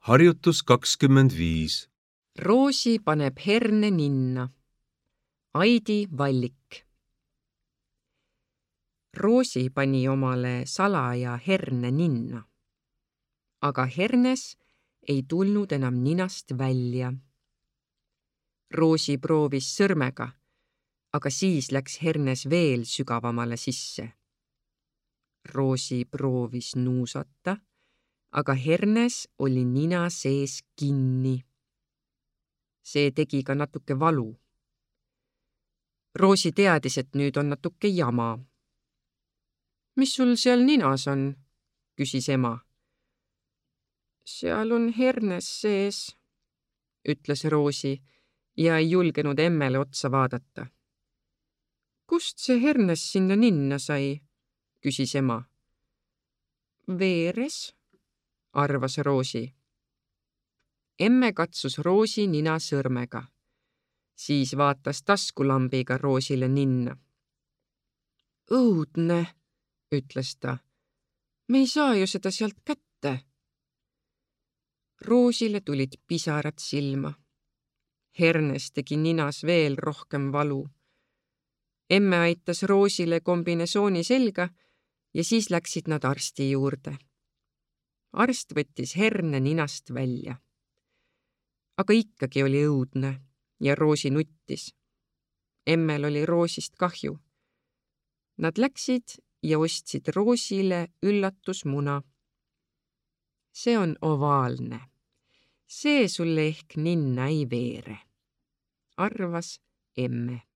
Harjutus 25. Roosi paneb herne ninna. Aidi Vallik. Roosi pani omale salaja herne ninna. Aga hernes ei tulnud enam ninast välja. Roosi proovis sõrmega, aga siis läks hernes veel sügavamale sisse. Roosi proovis nuusata, aga hernes oli nina sees kinni. See tegi ka natuke valu. Roosi teadis, et nüüd on natuke jama. Mis sul seal ninas on? Küsis ema. Seal on hernes sees, ütles Roosi ja ei julgenud emmele otsa vaadata. Kust see hernes sinna ninna sai? Küsis ema. Veeres, arvas Roosi. Emme katsus Roosi nina sõrmega. Siis vaatas taskulambiga Roosile ninna. Õudne, ütles ta. Me ei saa ju seda sealt kätte. Roosile tulid pisarad silma. Hernes tegi ninas veel rohkem valu. Emme aitas Roosile kombinesooni selga ja siis läksid nad arsti juurde. Arst võttis herne ninast välja. Aga ikkagi oli õudne ja Roosi nuttis. Emmel oli Roosist kahju. Nad läksid ja ostsid Roosile üllatusmuna. See on ovaalne. See sulle ehk ninna ei veere, arvas emme.